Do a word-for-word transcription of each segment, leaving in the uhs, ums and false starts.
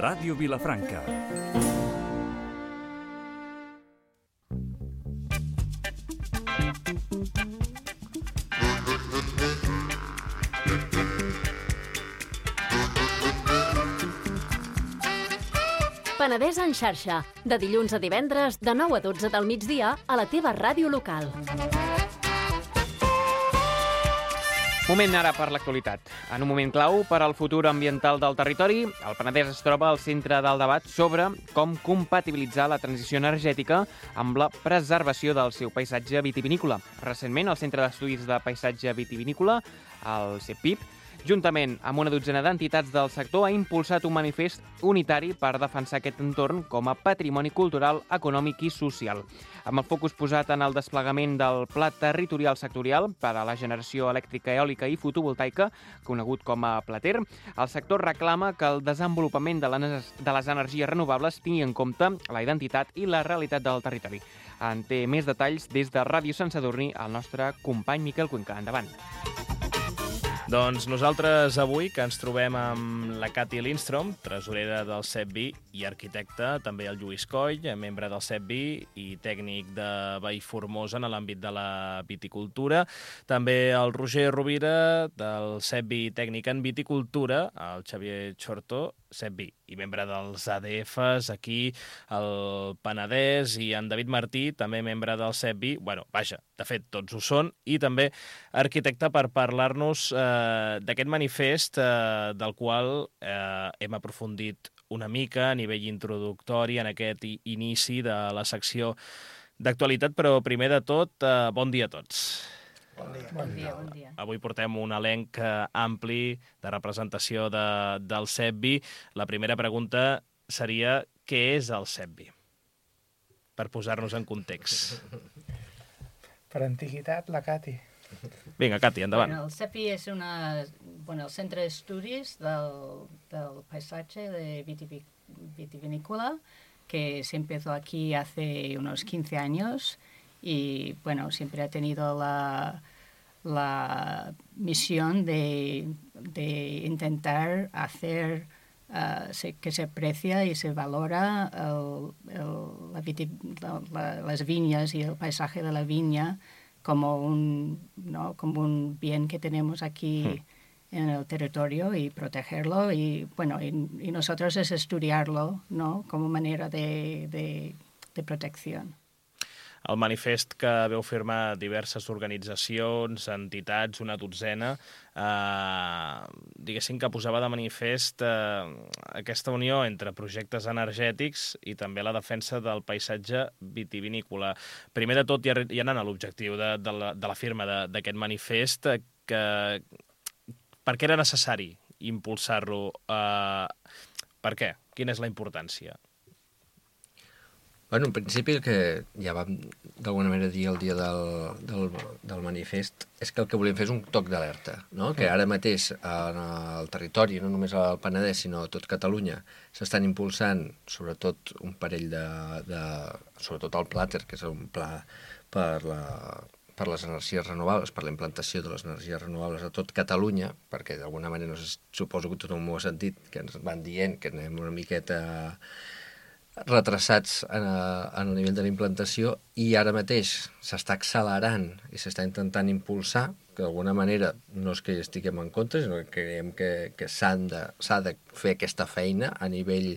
Ràdio Vilafranca. Penedès en xarxa, de dilluns a divendres, de nou a dotze del migdia, a la teva ràdio local. Moment ara per l'actualitat. En un moment clau per al futur ambiental del territori, el Penedès es troba al centre del debat sobre com compatibilitzar la transició energètica amb la preservació del seu paisatge vitivinícola. Recentment, el Centre d'Estudis de Paisatge Vitivinícola, el CEPIP, juntament amb una dotzena d'entitats del sector, ha impulsat un manifest unitari per defensar aquest entorn com a patrimoni cultural, econòmic i social. Amb el focus posat en el desplegament del Pla Territorial Sectorial per a la generació elèctrica, eòlica i fotovoltaica, conegut com a Plater, el sector reclama que el desenvolupament de les energies renovables tingui en compte la identitat i la realitat del territori. En té més detalls des de Ràdio Sant Sadurní el nostre company Miquel Cuenca. Endavant. Doncs nosaltres avui, que ens trobem amb la Cati Lindstrom, tresorera del CEPVI i arquitecte, també el Lluís Coll, membre del CEPVI i tècnic de Vallformosa en l'àmbit de la viticultura, també el Roger Rovira, del CEPVI tècnic en viticultura, el Xavier Xortó, CEPVI i membre dels A D Fs aquí al Penedès, i en David Martí, també membre del CEPVI, bueno, vaja, de fet tots ho són, i també arquitecte per parlar-nos eh, d'aquest manifest eh, del qual eh, hem aprofundit una mica a nivell introductori en aquest inici de la secció d'actualitat, però primer de tot, eh, bon dia a tots. Bon dia. Bon dia, bon dia. Avui portem un elenc ampli de representació de, del CEPVI. La primera pregunta seria què és el CEPVI? Per posar-nos en context. Per antiguitat, la Cati. Vinga, Cati, endavant. Bueno, el CEPVI és una, bueno, el Centre d'Estudis del, del Paisatge de Vitivic, Vitivinícola, que se empezó aquí hace unos quince años y, bueno, siempre ha tenido la, la misión de, de intentar hacer uh, se, que se aprecia y se valora el, el, la viti, la, la, las viñas y el paisaje de la viña como un, ¿no? como un bien que tenemos aquí mm. en el territorio y protegerlo. Y, bueno, y, y nosotros es estudiarlo, ¿no? Como manera de, de, de protección. El manifest que veu firmar diverses organitzacions, entitats, una dotzena, eh, diguéssim que posava de manifest eh, aquesta unió entre projectes energètics i també la defensa del paisatge vitivinícola. Primer de tot, ja, ja anant a l'objectiu de, de, la, de la firma d'aquest manifest, que, per què era necessari impulsar-lo? Eh, per què? Quina és la importància? Bueno, en principi el que ja vam d'alguna manera dir el dia del, del, del manifest és que el que volíem fer és un toc d'alerta, no? Que ara mateix en el territori, no només al Penedès sinó a tot Catalunya, s'estan impulsant sobretot un parell de, de sobretot el Plater, que és un pla per, la, per les energies renovables, per la implantació de les energies renovables a tot Catalunya, perquè d'alguna manera, no sé, suposo que tothom ho ha sentit, que ens van dient que anem una miqueta retrasats en, en el nivell de la implantació, i ara mateix s'està accelerant i s'està intentant impulsar, que d'alguna manera no és que hi estiguem en contra, sinó que creiem que, que s'ha de, s'ha de fer aquesta feina a nivell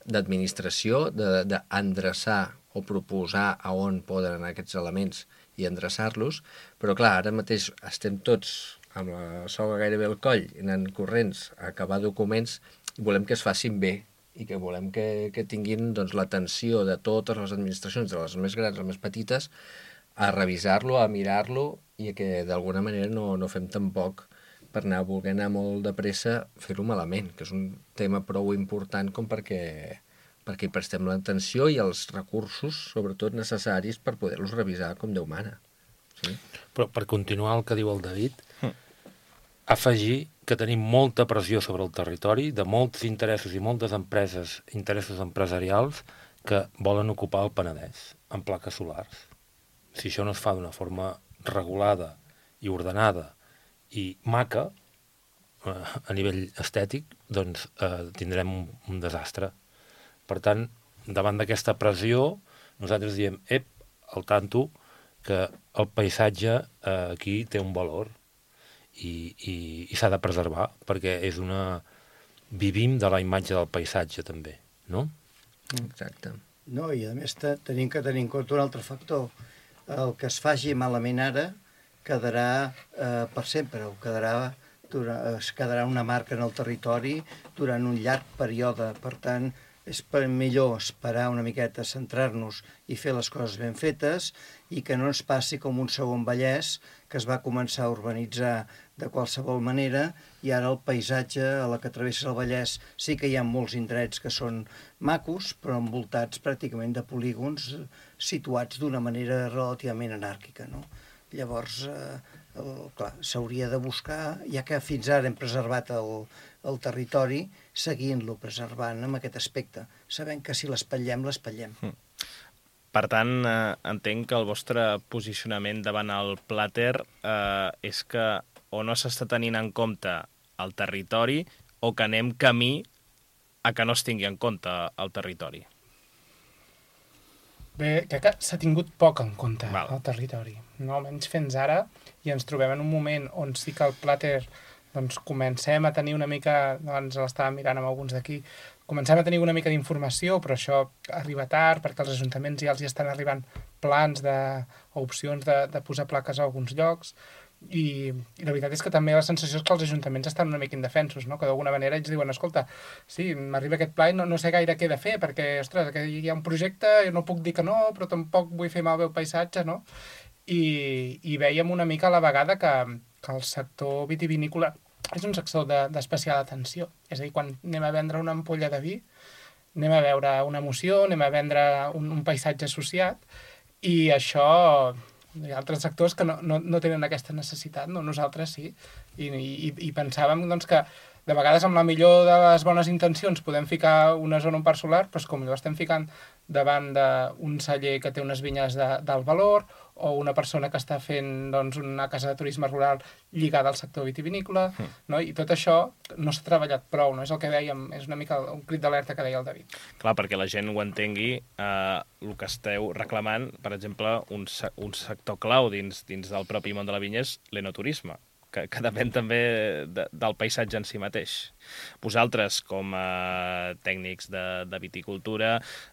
d'administració, d'endreçar o proposar a on poden anar aquests elements i endreçar-los, però clar, ara mateix estem tots amb la soga gairebé al coll, anant corrents a acabar documents, i volem que es facin bé, i que volem que, que tinguin doncs, l'atenció de totes les administracions, de les més grans a les més petites, a revisar-lo, a mirar-lo, i que d'alguna manera no, no fem tampoc per anar, voler anar molt de pressa, fer-ho malament, que és un tema prou important com perquè, perquè hi prestem l'atenció i els recursos, sobretot necessaris, per poder-los revisar com Déu mana. Sí? Però per continuar el que diu el David, hm. afegir que tenim molta pressió sobre el territori de molts interessos i moltes empreses, interessos empresarials que volen ocupar el Penedès en plaques solars. Si això no es fa d'una forma regulada i ordenada i maca, a nivell estètic, doncs eh, tindrem un, un desastre. Per tant, davant d'aquesta pressió, nosaltres diem, ep, al tanto, que el paisatge eh, aquí té un valor i, i, i s'ha de preservar, perquè és una... vivim de la imatge del paisatge, també, no? Exacte. No, i a més te, tenim que tenir en compte un altre factor. El que es faci malament ara quedarà eh, per sempre, o quedarà, durant, es quedarà una marca en el territori durant un llarg període. Per tant, és per millor esperar una miqueta, centrar-nos i fer les coses ben fetes i que no ens passi com un segon Vallès, que es va començar a urbanitzar de qualsevol manera i ara el paisatge a la que travessa el Vallès sí que hi ha molts indrets que són macos, però envoltats pràcticament de polígons situats d'una manera relativament anàrquica, no? Llavors, eh, el, clar, s'hauria de buscar, ja que fins ara hem preservat el, el territori, seguint-lo preservant amb aquest aspecte, sabent que si l'espatllem, l'espatllem. Mm. Per tant, eh, entenc que el vostre posicionament davant el plàter eh, és que o no s'està tenint en compte el territori o que anem camí a que no es tingui en compte el territori. Bé, crec que s'ha tingut poc en compte Val. el territori, no? Almenys fins ara, i ens trobem en un moment on sí que el plàter doncs, comencem a tenir una mica, abans l'estàvem mirant amb alguns d'aquí, comencem a tenir una mica d'informació, però això arriba tard, perquè els ajuntaments ja els hi estan arribant plans de, o opcions de, de posar plaques a alguns llocs, i, i la veritat és que també la sensació és que els ajuntaments estan una mica indefensos, no? Que d'alguna manera ells diuen, escolta, sí, m'arriba aquest pla i no, no sé gaire què he de fer, perquè, ostres, que hi ha un projecte i no puc dir que no, però tampoc vull fer malbé el paisatge, no? I, i vèiem una mica a la vegada que, que el sector vitivinícola és un sector d'especial atenció. És a dir, quan anem a vendre una ampolla de vi, anem a veure una emoció, anem a vendre un, un paisatge associat, i això... Hi ha altres sectors que no, no, no tenen aquesta necessitat, no? Nosaltres sí. I, i, i pensàvem doncs, que de vegades amb la millor de les bones intencions podem ficar una zona, un parc solar, però com ho estem ficant davant d'un celler que té unes vinyes d'alt valor o una persona que està fent doncs, una casa de turisme rural lligada al sector vitivinícola, mm. no? I tot això no s'ha treballat prou, no? És el que dèiem, és una mica un crit d'alerta que deia el David. Clar, perquè la gent ho entengui, eh, el que esteu reclamant, per exemple, un, un sector clau dins, dins del propi món de la vinya és l'enoturisme, que, que depèn també de, del paisatge en si mateix. Vosaltres, com a tècnics de, de viticultura,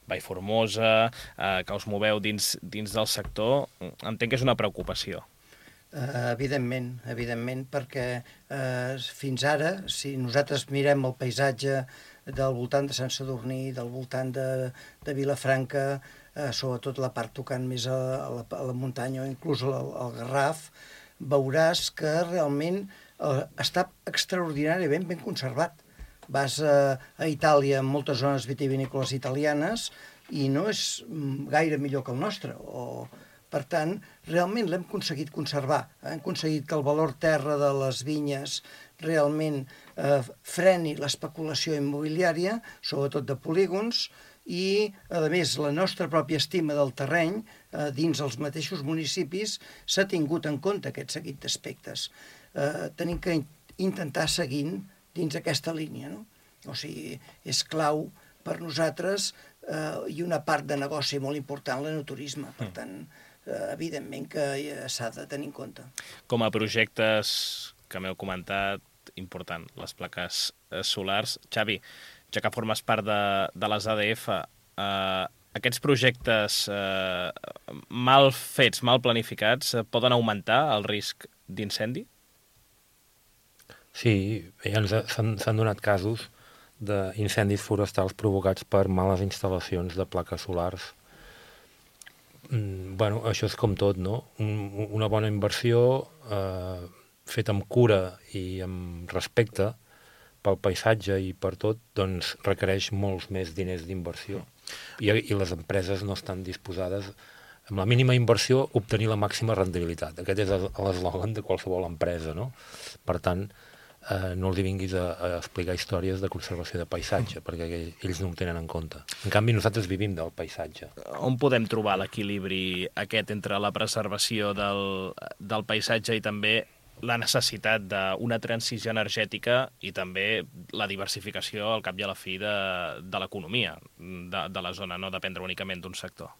Vallformosa, eh, que us moveu dins, dins del sector, entenc que és una preocupació. Uh, evidentment, evidentment, perquè uh, fins ara, si nosaltres mirem el paisatge del voltant de Sant Sadurní, del voltant de, de Vilafranca, uh, sobretot la part tocant més a, a, la, a la muntanya o inclús al, al Garraf, veuràs que realment eh, està extraordinàriament ben conservat. Vas a, a Itàlia, en moltes zones vitivinícoles italianes, i no és gaire millor que el nostre. O, per tant, realment l'hem aconseguit conservar. Hem aconseguit que el valor terra de les vinyes realment eh, freni l'especulació immobiliària, sobretot de polígons, i, a més, la nostra pròpia estima del terreny eh, dins els mateixos municipis s'ha tingut en compte aquest seguit d'aspectes. Eh, tenim que intentar seguint dins aquesta línia, no? O sigui, és clau per nosaltres eh, i una part de negoci molt important l'enoturisme. Per tant, eh, evidentment que s'ha de tenir en compte. Com a projectes que m'heu comentat, important, les plaques solars. Xavi, ja que formes part de, de les A D F, eh, aquests projectes eh, mal fets, mal planificats, eh, poden augmentar el risc d'incendi? Sí, ja s'han donat casos d'incendis forestals provocats per males instal·lacions de plaques solars. Mm, bueno, això és com tot, no? Un, una bona inversió eh, feta amb cura i amb respecte pel paisatge i per tot, doncs requereix molts més diners d'inversió. I, I les empreses no estan disposades, amb la mínima inversió, a obtenir la màxima rendibilitat. Aquest és l'eslògan de qualsevol empresa, no? Per tant, eh, no els vinguis a, a explicar històries de conservació de paisatge, perquè ells no ho tenen en compte. En canvi, nosaltres vivim del paisatge. On podem trobar l'equilibri aquest entre la preservació del, del paisatge i també la necessitat d'una transició energètica i també la diversificació al cap i a la fi de, de l'economia de, de la zona, no dependre únicament d'un sector.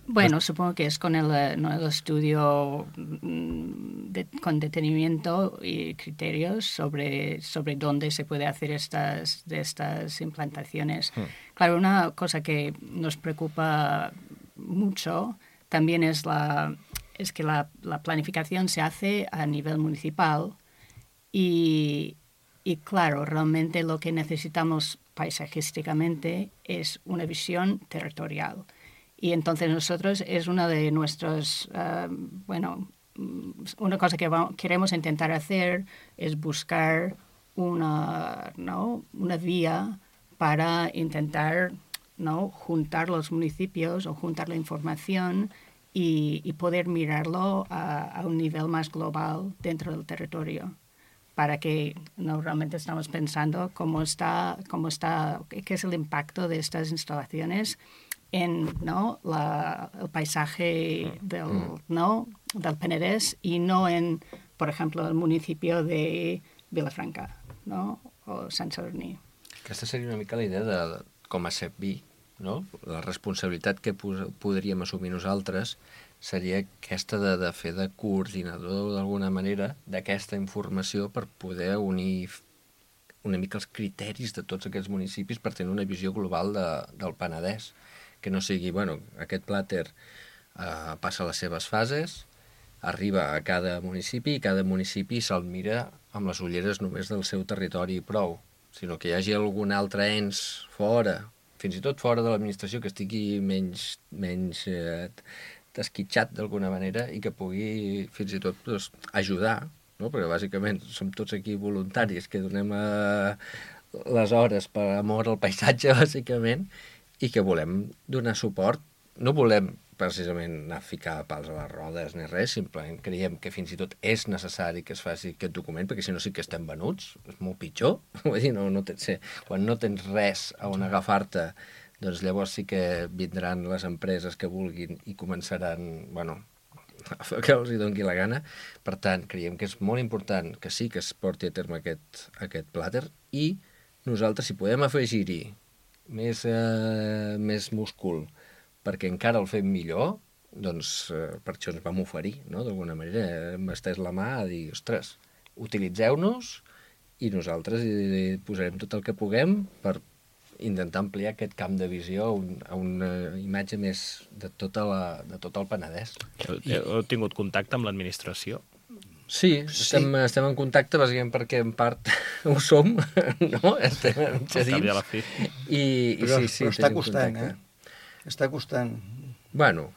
Bueno, supongo que es con el, ¿no? el estudio de, con detenimiento y criterios sobre, sobre dónde se puede hacer estas, de estas implantaciones. Mm. Claro, una cosa que nos preocupa mucho también es, la, es que la, la planificación se hace a nivel municipal y, y, claro, realmente lo que necesitamos paisajísticamente es una visión territorial. Y entonces nosotros es una de nuestros, uh, bueno, una cosa que vamos, queremos intentar hacer es buscar una, ¿no? una vía para intentar, ¿no? juntar los municipios o juntar la información y, y poder mirarlo a, a un nivel más global dentro del territorio, para que no realmente estamos pensando cómo está, cómo está, qué es el impacto de estas instalaciones en, ¿no? la, el paisaje del, ¿no? del Penedès y no en, por ejemplo, el municipio de Vilafranca, ¿no? o Sant Sadurní. Aquesta seria una mica la idea de, com a S E P B I, no? La responsabilitat que podríem assumir nosaltres seria aquesta de, de fer de coordinador d'alguna manera d'aquesta informació per poder unir una mica els criteris de tots aquests municipis per tenir una visió global de, del Penedès. Que no sigui, bueno, aquest plàter eh, passa les seves fases, arriba a cada municipi i cada municipi se'l mira amb les ulleres només del seu territori i prou, sinó que hi hagi algun altre ens fora, fins i tot fora de l'administració, que estigui menys, menys eh, desquitxat d'alguna manera i que pugui fins i tot doncs, ajudar, no? Perquè bàsicament som tots aquí voluntaris que donem eh, les hores per amor al paisatge, bàsicament, i que volem donar suport. No volem precisament anar a ficar pals a les rodes ni res, simplement creiem que fins i tot és necessari que es faci aquest document, perquè si no sí que estem venuts, és molt pitjor. Vull dir, no, no tens, quan no tens res a on agafar-te, doncs llavors sí que vindran les empreses que vulguin i començaran, bueno, a fer que els hi doni la gana. Per tant, creiem que és molt important que sí que es porti a terme aquest, aquest plàter i nosaltres, si podem afegir-hi més, eh, més múscul perquè encara el fem millor, doncs eh, per això ens vam oferir, no? D'alguna manera hem estès la mà a dir, ostres, utilitzeu-nos i nosaltres hi posarem tot el que puguem per intentar ampliar aquest camp de visió a, un, a una imatge més de, tota la, de tot el Penedès. Heu, heu tingut contacte amb l'administració? Sí, estem, sí. estem en contacte bàsicament perquè en part ho som, no? Estem en xadins. I, i però, sí, sí, però està costant, eh? Està costant. Bueno,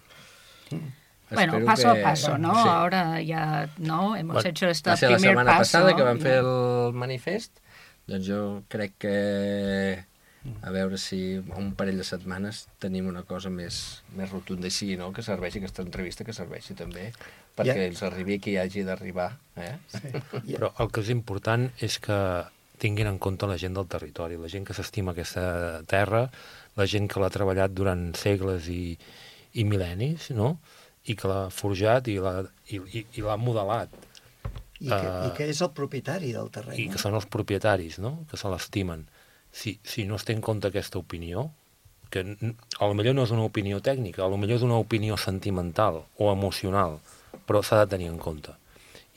bueno, paso que... a paso, ¿no? Sí. Ahora ya, ¿no? Hemos bueno, hecho este primer paso. Va ser la setmana passada que vam fer el manifest, doncs jo crec que a veure si un parell de setmanes tenim una cosa més, més rotunda i sí, no? Que serveixi aquesta entrevista, que serveixi també perquè yeah. els arribi qui hagi d'arribar. Eh? Sí. Yeah. Però el que és important és que tinguin en compte la gent del territori, la gent que s'estima aquesta terra, la gent que l'ha treballat durant segles i, i mil·lennis, no? I que l'ha forjat i l'ha i, i, i l'ha modelat. I que, uh, I que és el propietari del terreny. I que són els propietaris, no? Que se l'estimen. Si, si no es té en compte aquesta opinió, que a lo millor no és una opinió tècnica, a lo millor és una opinió sentimental o emocional, però s'ha de tenir en compte.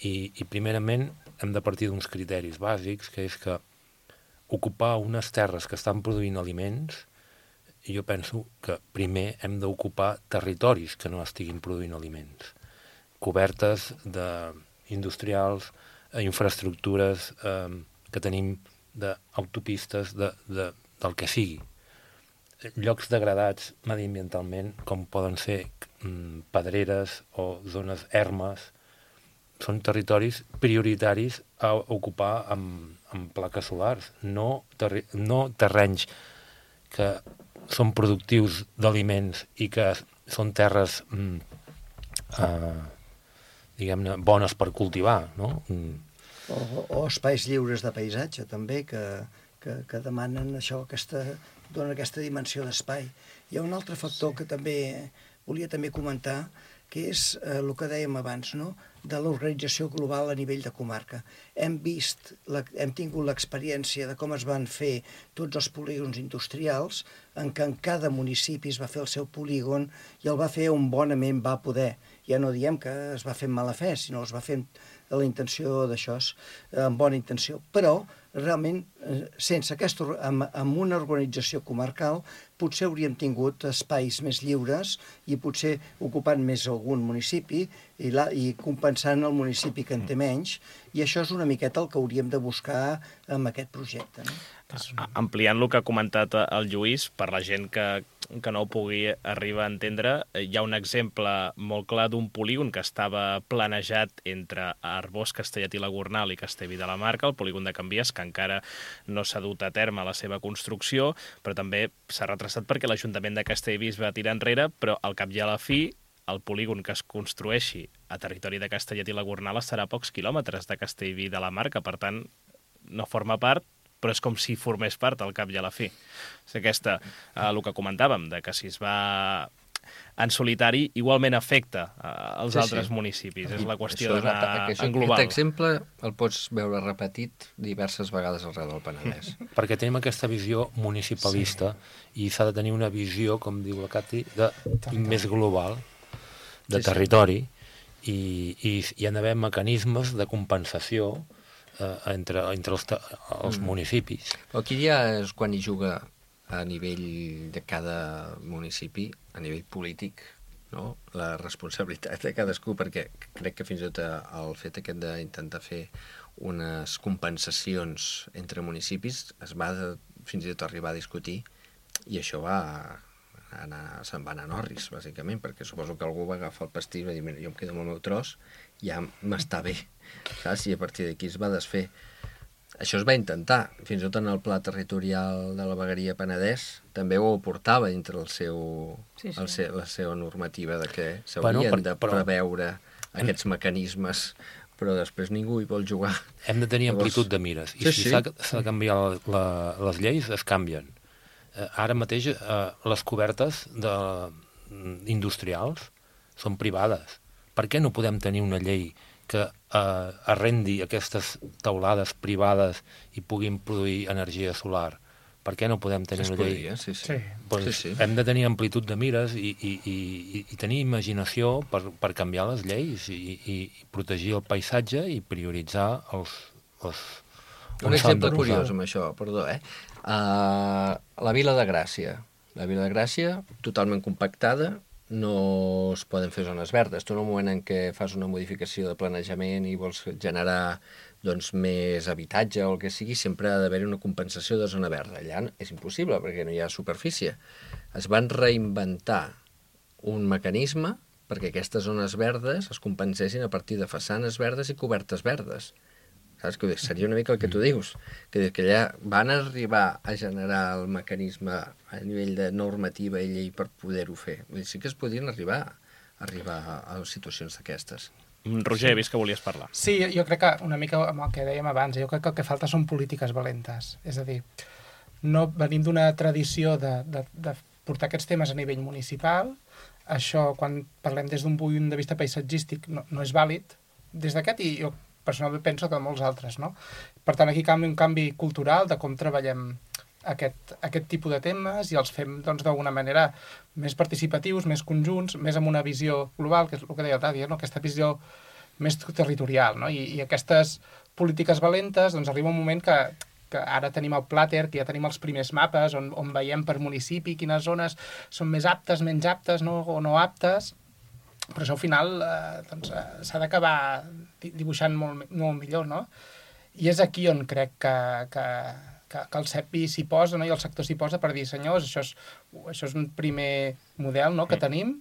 I, i primerament hem de partir d'uns criteris bàsics, que és que ocupar unes terres que estan produint aliments, jo penso que primer hem d'ocupar territoris que no estiguin produint aliments, cobertes de industrials, infraestructures eh, que tenim d'autopistes, de, de, del que sigui. Llocs degradats mediambientalment, com poden ser mm, pedreres o zones ermes, són territoris prioritaris a ocupar amb, amb plaques solars, no, terri no terrenys que són productius d'aliments i que són terres mm, eh, diguem-ne, bones per cultivar, no? Mm. O, o espais lliures de paisatge, també, que, que, que demanen això, aquesta, donen aquesta dimensió d'espai. Hi ha un altre factor que també volia també comentar, que és eh, el que dèiem abans, no?, de l'organització global a nivell de comarca. Hem vist, la, hem tingut l'experiència de com es van fer tots els polígons industrials, en què en cada municipi es va fer el seu polígon i el va fer on bonament va poder. Ja no diem que es va fer amb mala fe, sinó es va fer amb la intenció d'això, amb bona intenció. Però, realment, sense aquesta, amb, amb una organització comarcal, potser hauríem tingut espais més lliures i potser ocupant més algun municipi i, la, i compensant el municipi que en té menys, i això és una miqueta el que hauríem de buscar amb aquest projecte, no? Ampliant el que ha comentat el Lluís, per la gent que, que no ho pugui arribar a entendre, hi ha un exemple molt clar d'un polígon que estava planejat entre Arbós, Castellet i la Gornal i Castellví de la Marca, el polígon de Can Vies, que encara no s'ha dut a terme la seva construcció, però també s'ha retrasat perquè l'Ajuntament de Castellví es va tirar enrere, però al cap i a la fi el polígon que es construeixi a territori de Castellet i la Gornal estarà a pocs quilòmetres de Castellví de la Marca, per tant, no forma part, però és com si formés part al cap i a la fi. És aquesta, eh, el que comentàvem, de que si es va en solitari, igualment afecta eh, els sí, altres sí. municipis. És la qüestió d'anar en global. Aquest exemple el pots veure repetit diverses vegades arreu del Penedès. Perquè tenim aquesta visió municipalista sí. i s'ha de tenir una visió, com diu la Cati, de, més global, de sí, territori, sí. I, i hi ha d'haver mecanismes de compensació entre, entre els, els mm. municipis. Aquí ja és quan hi juga a nivell de cada municipi, a nivell polític, no?, la responsabilitat de cadascú, perquè crec que fins i tot el fet aquest d'intentar fer unes compensacions entre municipis es va de, fins i tot arribar a discutir, i això va anar, se'n va anar a Norris, bàsicament, perquè suposo que algú va agafar el pastís i va dir, mira, jo em quedo amb el meu tros, ja m'està bé, saps? I a partir d'aquí es va desfer. Això es va intentar, fins i tot en el pla territorial de la vegueria Penedès, també ho portava dintre el seu, sí, sí. El seu, la seva normativa de que s'haurien bueno, de però, preveure però... aquests mecanismes, però després ningú hi vol jugar. Hem de tenir amplitud de mires, i sí, si s'ha sí. de canviar la, les lleis, es canvien. Ara mateix eh, les cobertes de, industrials són privades. Per què no podem tenir una llei que eh, arrendi aquestes teulades privades i puguin produir energia solar? Per què no podem tenir sí, una llei? Podria, sí, sí. Pues sí, sí. Hem de tenir amplitud de mires i, i, i, i tenir imaginació per, per canviar les lleis i, i, i protegir el paisatge i prioritzar els... els un exemple curiós amb això, perdó, eh? Uh, la Vila de Gràcia. La Vila de Gràcia, totalment compactada, no es poden fer zones verdes. Tu en un moment en què fas una modificació de planejament i vols generar doncs, més habitatge o el que sigui, sempre ha d'haver una compensació de zona verda. Allà és impossible perquè no hi ha superfície. Es van reinventar un mecanisme perquè aquestes zones verdes es compensessin a partir de façanes verdes i cobertes verdes. Saps? Que seria una mica el que tu dius, que, que allà van arribar a generar el mecanisme a nivell de normativa i llei per poder-ho fer. Vull dir, sí que es podien arribar, arribar a, a situacions d'aquestes. Roger, he vist que volies parlar. Sí, jo crec que una mica amb el que dèiem abans, jo crec que el que falta són polítiques valentes. És a dir, no venim d'una tradició de, de, de portar aquests temes a nivell municipal. Això, quan parlem des d'un punt de vista paisatgístic, no, no és vàlid. Des d'aquest, i jo personalment penso que molts altres, no? Per tant, aquí canvi un canvi cultural de com treballem aquest, aquest tipus de temes i els fem, doncs, d'alguna manera més participatius, més conjunts, més amb una visió global, que és el que deia el Tadi, no? Aquesta visió més territorial, no? I, i aquestes polítiques valentes, doncs, arriba un moment que, que ara tenim el Plater, que ja tenim els primers mapes on, on veiem per municipi quines zones són més aptes, menys aptes, no? O no aptes. Però això al final eh, doncs, eh, s'ha d'acabar dibuixant molt, molt millor, no? I és aquí on crec que, que, que, que el C E P I s'hi posa, no? I el sector s'hi posa per dir, senyors, això és, això és un primer model, no?, que tenim,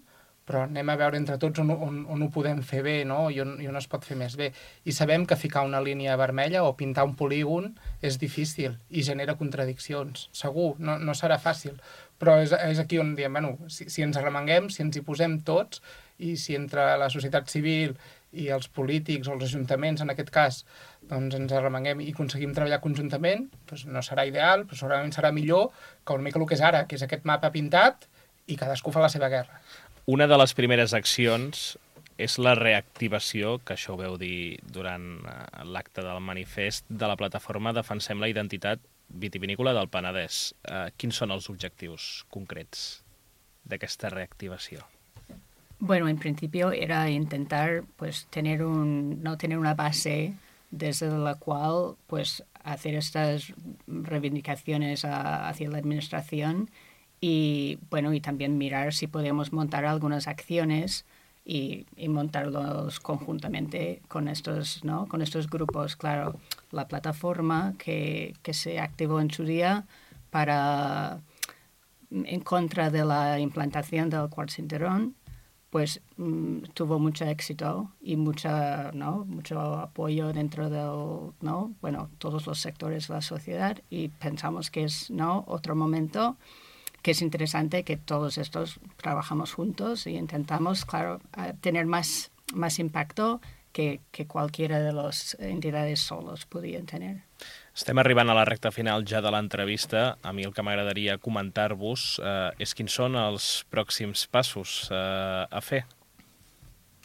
però anem a veure entre tots on, on, on ho podem fer bé, no?, i on, i on es pot fer més bé. I sabem que ficar una línia vermella o pintar un polígon és difícil i genera contradiccions. Segur, no, no serà fàcil. Però és, és aquí on diem, bueno, si, si ens arremanguem, si ens hi posem tots, i si entre la societat civil i els polítics o els ajuntaments, en aquest cas, doncs ens arremanguem i aconseguim treballar conjuntament, doncs no serà ideal, però segurament serà millor que una mica el que és ara, que és aquest mapa pintat i cadascú fa la seva guerra. una de les primeres accions és la reactivació, que això ho veu dir durant l'acte del manifest, de la plataforma Defensem la Identitat Vitivinícola del Penedès. Eh, quins són els objectius concrets d'aquesta reactivació? Bueno, en principio era intentar pues tener un no tener una base desde la cual pues hacer estas reivindicaciones a, hacia la administración y bueno y también mirar si podemos montar algunas acciones y, y montarlos conjuntamente con estos no con estos grupos. Claro, la plataforma que, que se activó en su día para en contra de la implantación del Quart Cinturón, pues mmm, tuvo mucho éxito y mucha, ¿no? mucho apoyo dentro del, ¿no? bueno, todos los sectores de la sociedad y pensamos que es, ¿no? otro momento que es interesante que todos estos trabajamos juntos y intentamos, claro, tener más, más impacto que, que cualquiera de las entidades solos podrían tener. Estem arribant a la recta final ja de l'entrevista. A mi el que m'agradaria comentar-vos eh, és quins són els pròxims passos eh, a fer.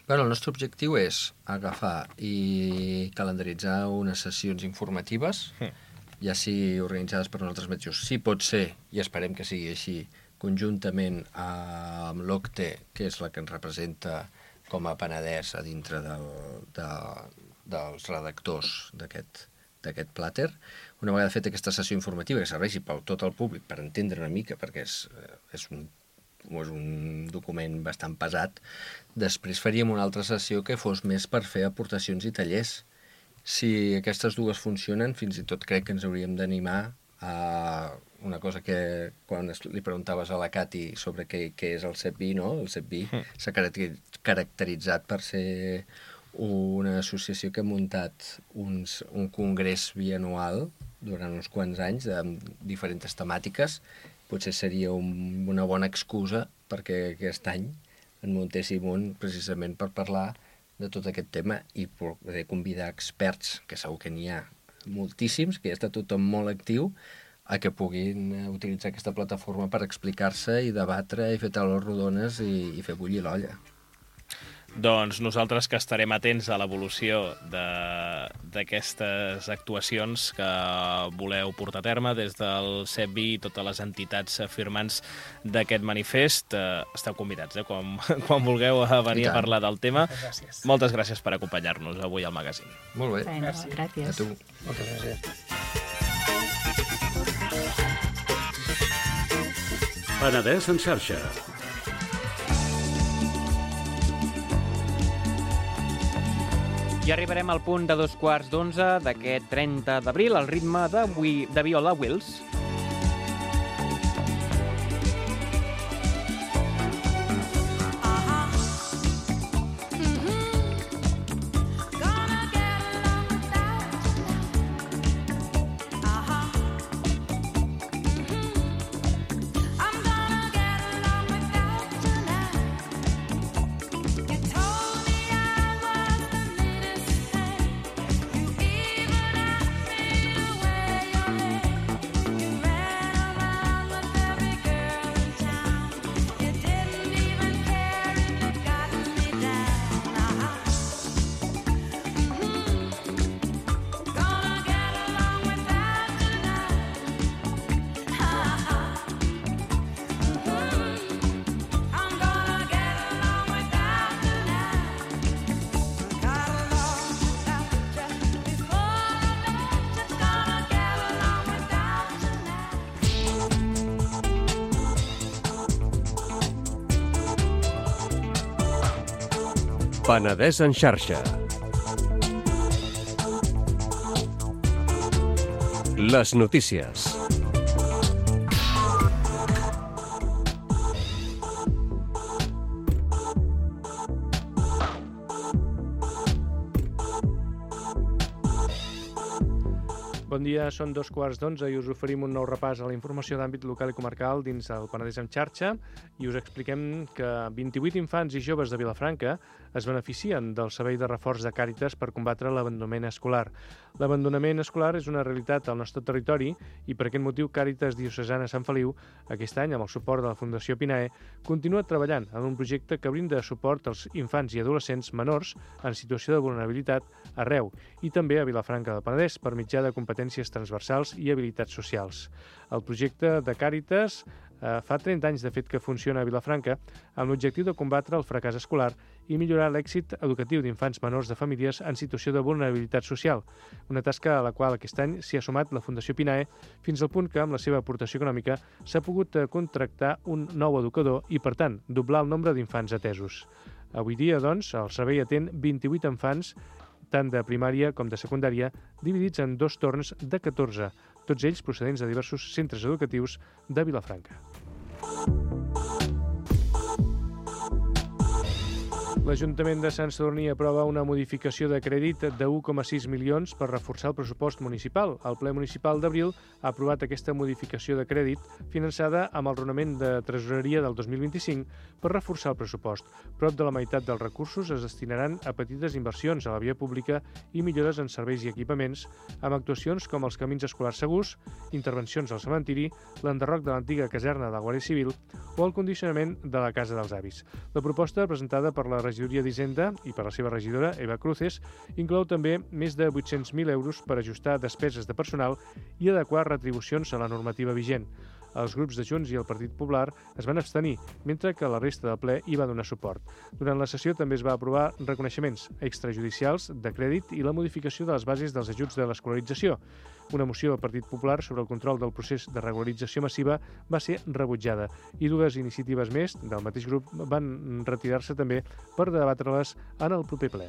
Bueno, el nostre objectiu és agafar i calendaritzar unes sessions informatives, mm. ja sigui organitzades per nosaltres mateixos. Si pot ser, i esperem que sigui així, conjuntament amb l'O C T E, que és la que ens representa com a Penedès a dintre del, de, dels redactors d'aquest d'aquest plàter. Una vegada feta aquesta sessió informativa que serveixi per tot el públic per entendre una mica, perquè és, és, un, és un document bastant pesat, després faríem una altra sessió que fos més per fer aportacions i tallers. Si aquestes dues funcionen, fins i tot crec que ens hauríem d'animar a una cosa que quan li preguntaves a la Cati sobre què, què és el C E P I, no? El C E P I s'ha caracteritzat per ser una associació que ha muntat uns, un congrés bianual durant uns quants anys de diferents temàtiques. Potser seria un, una bona excusa perquè aquest any en muntéssim un precisament per parlar de tot aquest tema i poder convidar experts, que segur que n'hi ha moltíssims, que ja està tothom molt actiu, a que puguin utilitzar aquesta plataforma per explicar-se i debatre i fer taules rodones i, i fer bullir l'olla. Doncs nosaltres que estarem atents a l'evolució d'aquestes actuacions que voleu portar a terme des del C E P I i totes les entitats firmants d'aquest manifest. Eh, esteu convidats, eh, quan, quan vulgueu venir a parlar del tema. Moltes gràcies. Moltes gràcies per acompanyar-nos avui al magazín. Molt bé. Bueno, Gràcies. gràcies. A tu. Moltes gràcies. Penedès en xarxa. I arribarem al punt de dos quarts d'onze d'aquest trenta d'abril, al ritme de, de Viola Wills. Penedès en xarxa. Les notícies. Bon dia, són dos quarts d'onze i us oferim un nou repàs a la informació d'àmbit local i comarcal dins el Penedès en xarxa i us expliquem que vint-i-vuit infants i joves de Vilafranca es beneficien del servei de reforç de Càritas per combatre l'abandonament escolar. L'abandonament escolar és una realitat al nostre territori i per aquest motiu Càritas Diocesana Sant Feliu, aquest any amb el suport de la Fundació Pinae, continua treballant en un projecte que brinda suport als infants i adolescents menors en situació de vulnerabilitat arreu i també a Vilafranca del Penedès per mitjà de competències transversals i habilitats socials. El projecte de Càritas eh, fa trenta anys de fet que funciona a Vilafranca amb l'objectiu de combatre el fracàs escolar i millorar l'èxit educatiu d'infants menors de famílies en situació de vulnerabilitat social, una tasca a la qual aquest any s'hi ha sumat la Fundació Pinae fins al punt que amb la seva aportació econòmica s'ha pogut contractar un nou educador i, per tant, doblar el nombre d'infants atesos. Avui dia, doncs, el servei atén vint-i-vuit infants tant de primària com de secundària, dividits en dos torns de catorze, tots ells procedents de diversos centres educatius de Vilafranca. L'Ajuntament de Sant Sadurní aprova una modificació de crèdit de u coma sis milions per reforçar el pressupost municipal. El ple municipal d'abril ha aprovat aquesta modificació de crèdit finançada amb el raonament de tresoreria del dos mil vint-i-cinc per reforçar el pressupost. Prop de la meitat dels recursos es destinaran a petites inversions a la via pública i millores en serveis i equipaments, amb actuacions com els camins escolars segurs, intervencions al cementiri, l'enderroc de l'antiga caserna de la Guàrdia Civil o el condicionament de la Casa dels Avis. La proposta, presentada per la Regidoria d'Hisenda i per la seva regidora, Eva Cruces, inclou també més de vuit-cents mil euros per ajustar despeses de personal i adequar retribucions a la normativa vigent. Els grups de Junts i el Partit Popular es van abstenir, mentre que la resta del ple hi va donar suport. Durant la sessió també es va aprovar reconeixements extrajudicials de crèdit i la modificació de les bases dels ajuts de l'escolarització. Una moció del Partit Popular sobre el control del procés de regularització massiva va ser rebutjada i dues iniciatives més del mateix grup van retirar-se també per debatre-les en el proper ple.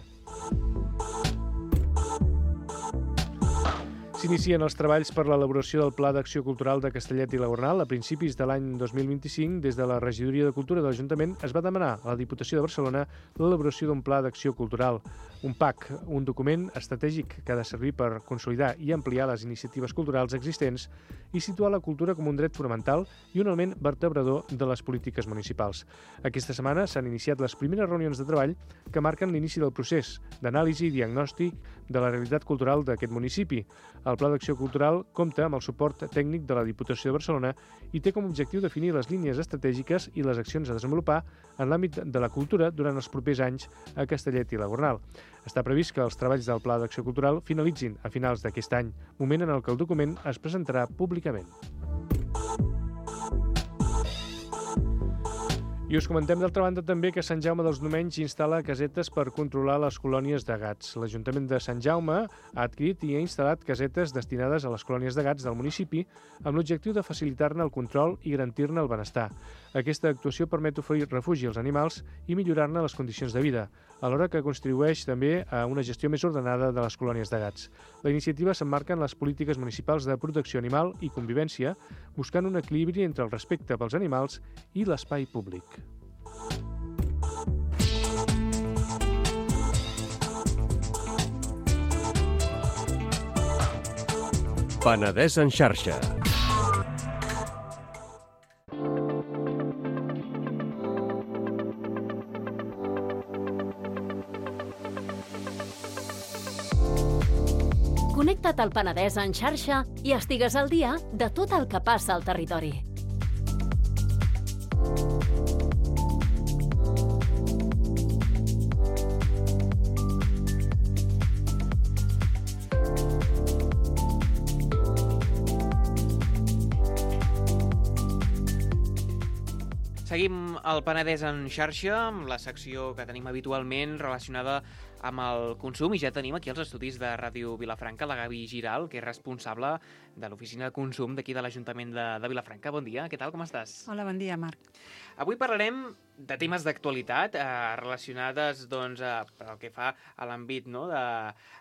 S'inicien els treballs per l'elaboració del Pla d'Acció Cultural de Castellet i la Gornal. A principis de l'any dos mil vint-i-cinc, des de la Regidoria de Cultura de l'Ajuntament, es va demanar a la Diputació de Barcelona l'elaboració d'un Pla d'Acció Cultural, un P A C, un document estratègic que ha de servir per consolidar i ampliar les iniciatives culturals existents i situar la cultura com un dret fonamental i un element vertebrador de les polítiques municipals. Aquesta setmana s'han iniciat les primeres reunions de treball que marquen l'inici del procés d'anàlisi i diagnòstic de la realitat cultural d'aquest municipi. El Pla d'Acció Cultural compta amb el suport tècnic de la Diputació de Barcelona i té com a objectiu definir les línies estratègiques i les accions a desenvolupar en l'àmbit de la cultura durant els propers anys a Castellet i la Gornal. Està previst que els treballs del Pla d'Acció Cultural finalitzin a finals d'aquest any, moment en el que el document es presentarà públicament. I us comentem d'altra banda també que Sant Jaume dels Domenys instal·la casetes per controlar les colònies de gats. L'Ajuntament de Sant Jaume ha adquirit i ha instal·lat casetes destinades a les colònies de gats del municipi amb l'objectiu de facilitar-ne el control i garantir-ne el benestar. Aquesta actuació permet oferir refugi als animals i millorar-ne les condicions de vida, alhora que contribueix també a una gestió més ordenada de les colònies de gats. La iniciativa s'emmarca en les polítiques municipals de protecció animal i convivència, buscant un equilibri entre el respecte pels animals i l'espai públic. Penedès en xarxa. Connecta't al Penedès en xarxa i estigues al dia de tot el que passa al territori. Seguim el Penedès en xarxa, amb la secció que tenim habitualment relacionada amb el consum, i ja tenim aquí els estudis de Ràdio Vilafranca la Gavi Giral, que és responsable de l'oficina de consum d'aquí de l'Ajuntament de, de Vilafranca. Bon dia, què tal, com estàs? Hola, bon dia, Marc. Avui parlarem de temes d'actualitat eh, relacionades doncs, eh, pel que fa a l'àmbit no, de,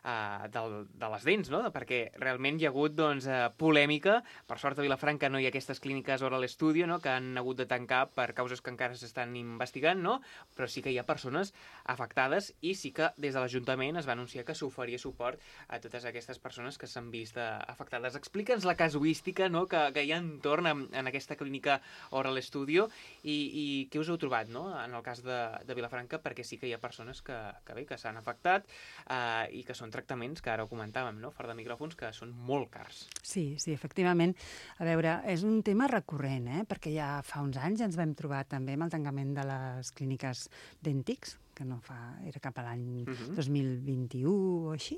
eh, del, de les dents, no? Perquè realment hi ha hagut doncs, eh, polèmica. Per sort a Vilafranca no hi ha aquestes clíniques Oral Studio, no? Que han hagut de tancar per causes que encara s'estan investigant, no? Però sí que hi ha persones afectades i sí que des de l'Ajuntament es va anunciar que s'oferia suport a totes aquestes persones que s'han vist eh, afectades. Explica'ns la casuística no? que, que hi ha entorn en, en aquesta clínica Oral Studio i, i què us heu trobat no? en el cas de, de Vilafranca, perquè sí que hi ha persones que, que bé, que s'han afectat eh, i que són tractaments que ara ho comentàvem, no? Fora de micròfons, que són molt cars. Sí, sí, efectivament. A veure, és un tema recurrent, eh? Perquè ja fa uns anys ens vam trobar també amb el tancament de les clíniques Dentix, que no fa, era cap a l'any uh-huh. dos mil vint-i-u o així,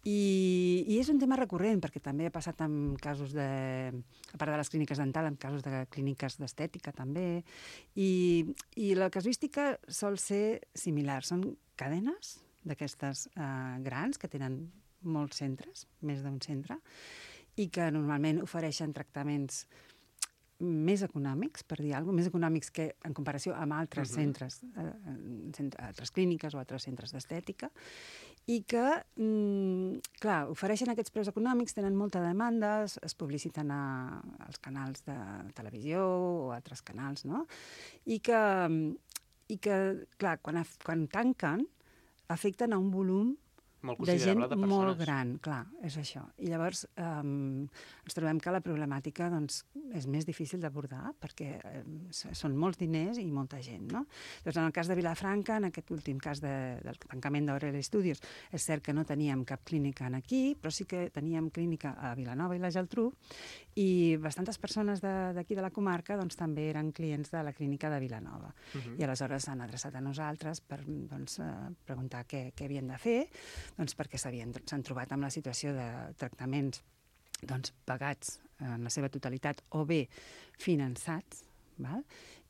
I, i és un tema recurrent, perquè també ha passat amb casos de, a part de les clíniques dental, amb casos de clíniques d'estètica també, i, i la casuística sol ser similar. Són cadenes d'aquestes eh, grans que tenen molts centres, més d'un centre, i que normalment ofereixen tractaments més econòmics, per dir alguna cosa, més econòmics que en comparació amb altres uh-huh. centres, eh, centre, altres clíniques o altres centres d'estètica, i que, mm, clar, ofereixen aquests preus econòmics, tenen molta demanda, es, es publiciten a, als canals de televisió o altres canals, no? I que, i que clar, quan, quan tanquen, afecten a un volum molt de gent de molt gran, clar, és això. I llavors um, ens trobem que la problemàtica doncs, és més difícil d'abordar perquè um, són molts diners i molta gent, no? Doncs en el cas de Vilafranca, en aquest últim cas de, del tancament d'Oral Studios, és cert que no teníem cap clínica aquí, però sí que teníem clínica a Vilanova i la Geltrú, i bastantes persones d'aquí de, de la comarca doncs, també eren clients de la clínica de Vilanova. Uh-huh. I aleshores s'han adreçat a nosaltres per doncs, uh, preguntar què, què havien de fer, doncs perquè s'han trobat amb la situació de tractaments doncs, pagats en la seva totalitat o bé finançats, val?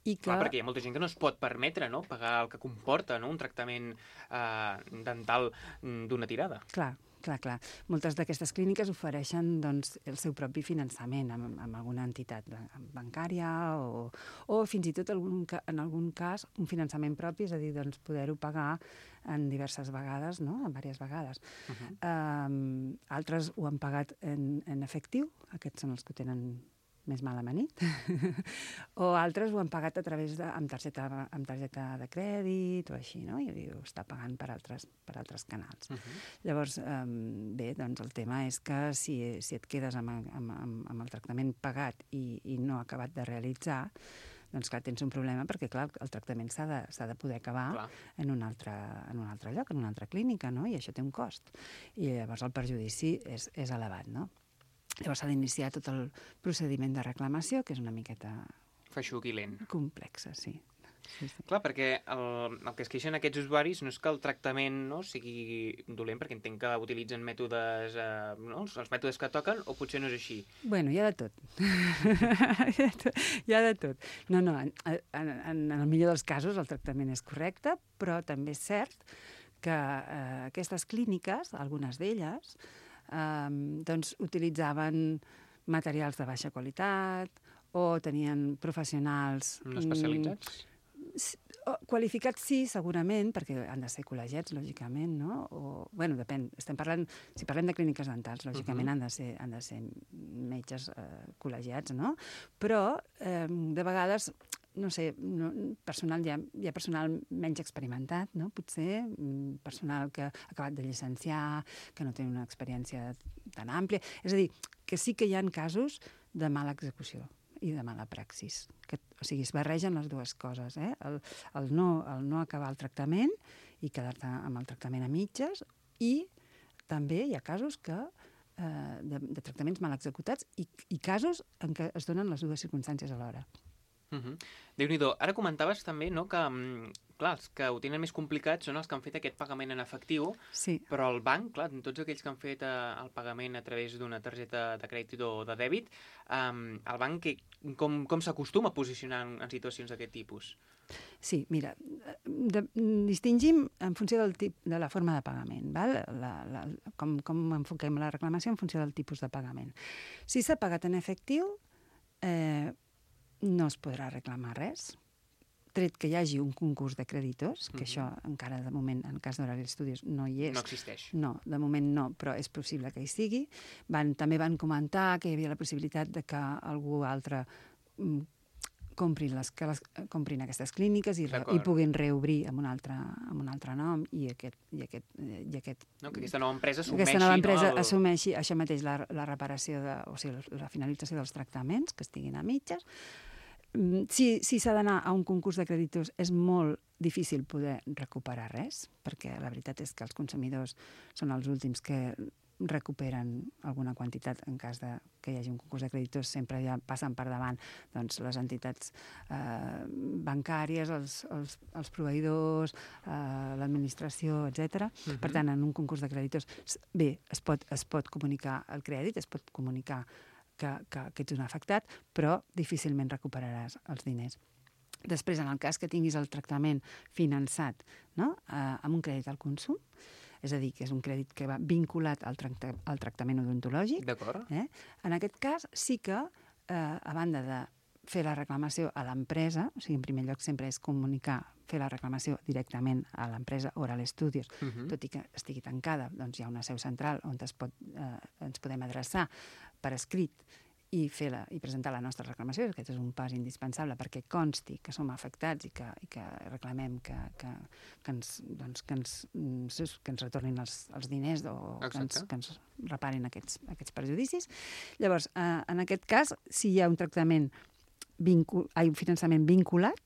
I que... Clar, perquè hi ha molta gent que no es pot permetre no? pagar el que comporta no? un tractament eh, dental d'una tirada. Clar, clar, clar. Moltes d'aquestes clíniques ofereixen doncs, el seu propi finançament amb, amb alguna entitat bancària o, o fins i tot algun, en algun cas un finançament propi, és a dir, doncs, poder-ho pagar en diverses vegades, no? en diverses vegades. Uh-huh. Um, altres ho han pagat en, en efectiu, aquests són els que tenen més mal amanit, o altres ho han pagat a través de, amb, targeta, amb targeta de crèdit o així, no? I ho està pagant per altres, per altres canals. Uh-huh. Llavors, um, bé, doncs el tema és que si, si et quedes amb, amb, amb, amb el tractament pagat i, i no acabat de realitzar, doncs clar, tens un problema perquè, clar, el tractament s'ha de, s'ha de poder acabar clar. en un, altre, en un altre lloc, en una altra clínica, no? I això té un cost. I llavors el perjudici és, és elevat, no? Llavors s'ha d'iniciar tot el procediment de reclamació, que és una miqueta... Feixuc i lent. Complexa, sí. sí, sí. Clar, perquè el, el que es queixen aquests usuaris no és que el tractament no, sigui dolent, perquè entenc que utilitzen mètodes, eh, no, els mètodes que toquen, o potser no és així. Bueno, hi ha de tot. Hi ha de tot. No, no, en, en, en el millor dels casos el tractament és correcte, però també és cert que eh, aquestes clíniques, algunes d'elles, Um, doncs utilitzaven materials de baixa qualitat o tenien professionals... No especialitzats? Mm, qualificats sí, segurament, perquè han de ser col·legiats, lògicament, no? O, bueno, depèn. Estem parlant, si parlem de clíniques dentals, lògicament uh-huh. han, de ser, han de ser metges eh, col·legiats, no? Però, eh, de vegades... no sé, no, personal, hi ha, hi ha personal menys experimentat, no? Potser personal que ha acabat de llicenciar, que no té una experiència tan àmplia. És a dir, que sí que hi ha casos de mala execució i de mala praxis. Que, o sigui, es barregen les dues coses, eh? El, el, no, el no acabar el tractament i quedar-te amb el tractament a mitges, i també hi ha casos que eh, de, de tractaments mal executats i, i casos en què es donen les dues circumstàncies alhora. Uh-huh. Déu-n'hi-do. Ara comentaves també no, que, clar, els que ho tenen més complicat són els que han fet aquest pagament en efectiu, sí. Però el banc, clar, tots aquells que han fet eh, el pagament a través d'una targeta de crèdit o de dèbit, eh, el banc que, com, com s'acostuma a posicionar en, en situacions d'aquest tipus? Sí, mira, de, distingim en funció del tip, de la forma de pagament, val? La, la, com, com enfoquem la reclamació en funció del tipus de pagament. Si s'ha pagat en efectiu, eh, no es podrà reclamar res, tret que hi hagi un concurs de creditors, que mm-hmm. això encara de moment, en el cas d'Horari Studios, no hi és. No existeix. No, de moment no, però és possible que hi sigui. Van, també van comentar que hi havia la possibilitat de que algú altre mm, comprin, les, que les, comprin aquestes clíniques i, re, i puguin reobrir amb un altre, amb un altre nom i aquest... I aquest, i aquest no, que aquesta nova empresa assumeixi... Aquesta nova empresa no, el... assumeixi això mateix, la, la reparació, de, o sigui, la finalització dels tractaments, que estiguin a mitges. Si si s'ha d'anar a un concurs de creditors és molt difícil poder recuperar res, perquè la veritat és que els consumidors són els últims que recuperen alguna quantitat en cas de que hi hagi un concurs de creditors, sempre ja passen per davant doncs, les entitats eh, bancàries, els, els, els proveïdors, eh, l'administració, etcètera. Uh-huh. Per tant, en un concurs de creditors, bé, es pot, es pot comunicar el crèdit, es pot comunicar que, que, que ets un afectat, però difícilment recuperaràs els diners. Després, en el cas que tinguis el tractament finançat, no? eh, amb un crèdit al consum, és a dir, que és un crèdit que va vinculat al, tracta, al tractament odontològic, eh? En aquest cas sí que, eh, a banda de fer la reclamació a l'empresa, o sigui, en primer lloc sempre és comunicar, fer la reclamació directament a l'empresa Oral Studios, uh-huh. tot i que estigui tancada, doncs hi ha una seu central on es pot, eh, ens podem adreçar per escrit i, fer la, i presentar la nostra reclamació. Aquest és un pas indispensable perquè consti que som afectats i que, i que reclamem que, que, que, ens, doncs, que, ens, que ens retornin els, els diners o que ens, que ens reparin aquests, aquests perjudicis. Llavors, eh, en aquest cas, si hi ha un tractament vincul, hi ha un finançament vinculat,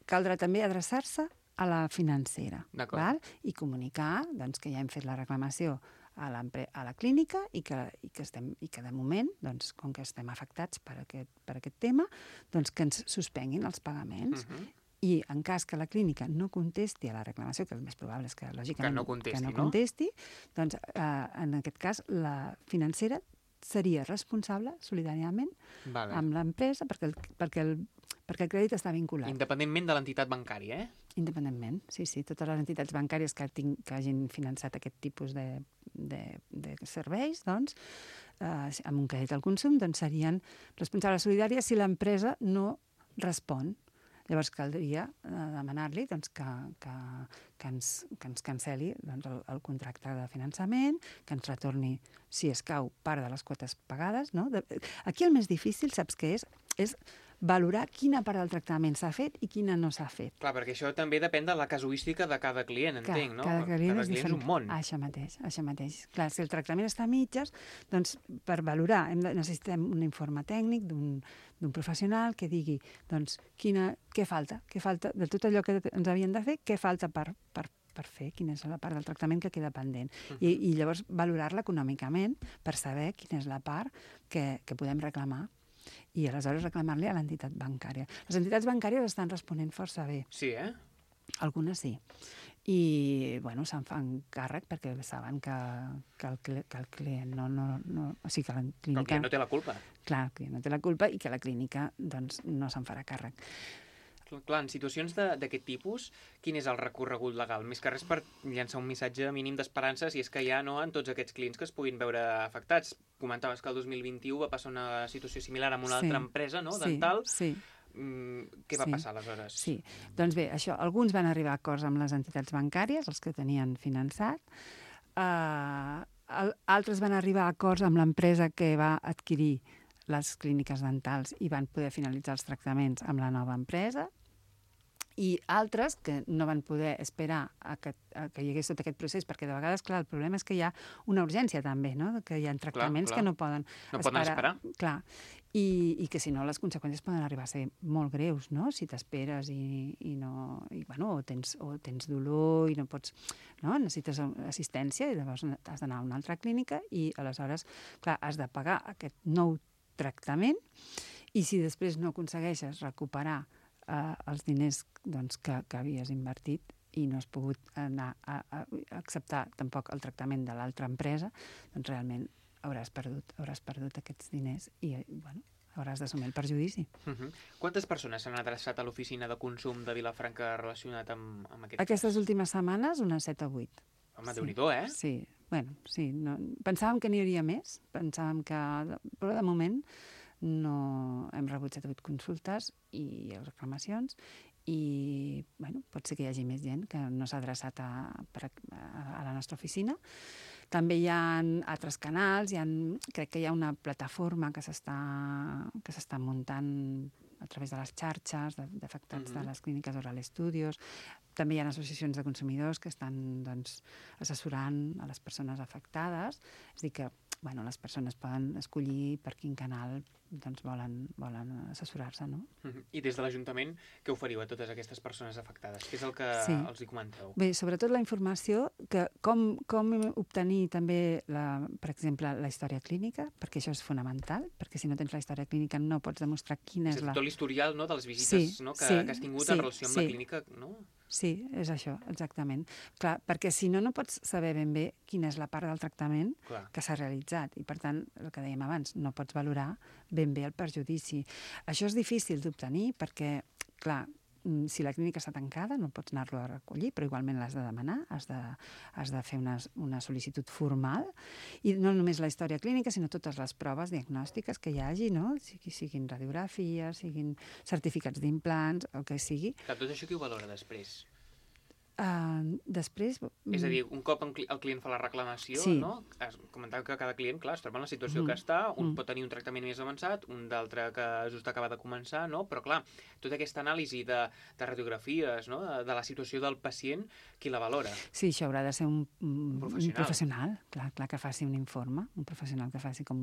caldrà també adreçar-se a la financera, val? I comunicar doncs, que ja hem fet la reclamació a, a la clínica i que, i, que estem, i que de moment, doncs, com que estem afectats per aquest, per aquest tema, doncs que ens suspenguin els pagaments. Uh-huh. I en cas que la clínica no contesti a la reclamació, que el més probable és que, lògicament, que no contesti, que no no? contesti doncs, eh, en aquest cas, la financera seria responsable solidàriament vale. Amb l'empresa perquè el, perquè, el, perquè el crèdit està vinculat. Independentment de l'entitat bancària, eh? Independentment, sí, sí. Totes les entitats bancàries que, tinc, que hagin finançat aquest tipus de, de, de serveis, doncs, eh, amb un crèdit al consum, doncs serien responsables solidàries si l'empresa no respon. Llavors caldria eh, demanar-li doncs, que, que, que, ens, que ens cancel·li doncs, el, el contracte de finançament, que ens retorni, si escau, part de les quotes pagades. No? De, aquí el més difícil, saps què és? És valorar quina part del tractament s'ha fet i quina no s'ha fet. Clar, perquè això també depèn de la casuística de cada client, entenc, no? Cada client, cada és, client és un món. Això mateix, això mateix. Clar, si el tractament està a mitges, doncs per valorar hem de, necessitem un informe tècnic d'un d'un professional que digui doncs, quina, què falta, què falta de tot allò que ens havien de fer, què falta per, per, per fer, quina és la part del tractament que queda pendent. Uh-huh. I, I llavors valorar-la econòmicament per saber quina és la part que, que podem reclamar i aleshores reclamar-li a l'entitat bancària. Les entitats bancàries estan responent força bé. Sí, eh? Algunes sí. I, bueno, se'n fan càrrec perquè saben que, que, el, que el client no... no, no o sigui, que la clínica... Que el client no té la culpa. Clar, el client no té la culpa i que la clínica, doncs, no se'n farà càrrec. Clar, en situacions d'aquest tipus, quin és el recorregut legal? Més que res per llançar un missatge mínim d'esperança si és que hi ha no, en tots aquests clients que es puguin veure afectats. Comentaves que el dos mil vint-i-u va passar una situació similar amb una sí, altra empresa, no?, dental. Sí, sí. Mm, què va sí, passar aleshores? Sí, doncs bé, això, alguns van arribar a acords amb les entitats bancàries, els que tenien finançat, uh, altres van arribar a acords amb l'empresa que va adquirir les clíniques dentals i van poder finalitzar els tractaments amb la nova empresa, i altres que no van poder esperar a que, a que hi hagués tot aquest procés, perquè de vegades, clar, el problema és que hi ha una urgència també, no?, que hi ha tractaments clar, clar. que no poden no esperar. Poden esperar. Clar, i, i que si no les conseqüències poden arribar a ser molt greus, no?, si t'esperes i, i no... I, bueno, o tens, o tens dolor i no pots... No? Necessites assistència i llavors has d'anar a una altra clínica i aleshores, clar, has de pagar aquest nou tractament i si després no aconsegueixes recuperar eh, els diners doncs, que, que havies invertit i no has pogut anar a, a, a acceptar tampoc el tractament de l'altra empresa, doncs realment hauràs perdut, hauràs perdut aquests diners i, bueno, hauràs d'assumir el perjudici. Uh-huh. Quantes persones s'han adreçat a l'oficina de consum de Vilafranca relacionat amb, amb aquest Aquestes cas? últimes setmanes, unes set o vuit. Home, sí. Déu-n'hi-do, eh? Sí, bueno, sí. No... Pensàvem que n'hi hauria més, pensàvem que... Però de moment no hem rebut set o vuit consultes i reclamacions i bueno, pot ser que hi hagi més gent que no s'ha adreçat a, a, a la nostra oficina. També hi ha altres canals, hi ha, crec que hi ha una plataforma que s'està que s'està muntant a través de les xarxes d'afectats mm-hmm. de les clíniques Oral Studios. També hi ha associacions de consumidors que estan doncs, assessorant a les persones afectades. És a dir que bueno, les persones poden escollir per quin canal doncs, volen, volen assessorar-se, no? Mm-hmm. I des de l'Ajuntament, què oferiu a totes aquestes persones afectades? Què és el que sí. els hi comenteu? Bé, sobretot la informació, que com, com obtenir també, la, per exemple, la història clínica, perquè això és fonamental, perquè si no tens la història clínica no pots demostrar quina és, és la... Tot l'historial, no?, de les visites sí, no? que, sí, que has tingut sí, en relació amb sí. la clínica, no? Sí, és això, exactament. Clar, perquè si no, no pots saber ben bé quina és la part del tractament Clar. que s'ha realitzat. I, per tant, el que dèiem abans, no pots valorar ben bé el perjudici. Això és difícil d'obtenir perquè, clar, si la clínica està tancada no pots anar-lo a recollir, però igualment l'has de demanar, has de, has de fer una, una sol·licitud formal, i no només la història clínica, sinó totes les proves diagnòstiques que hi hagi, no? Sigui, siguin radiografies, siguin certificats d'implants, el que sigui. Clar, tot això qui ho valora després? Uh, després... És a dir, un cop el client fa la reclamació, sí. no? Comentava que cada client, clar, es troba en la situació mm. que està, un mm. pot tenir un tractament més avançat, un d'altre que just acaba de començar, no? Però, clar, tota aquesta anàlisi de, de radiografies, no? De, de la situació del pacient, qui la valora? Sí, això haurà de ser un, un, professional. un professional, clar, clar, que faci un informe, un professional que faci com,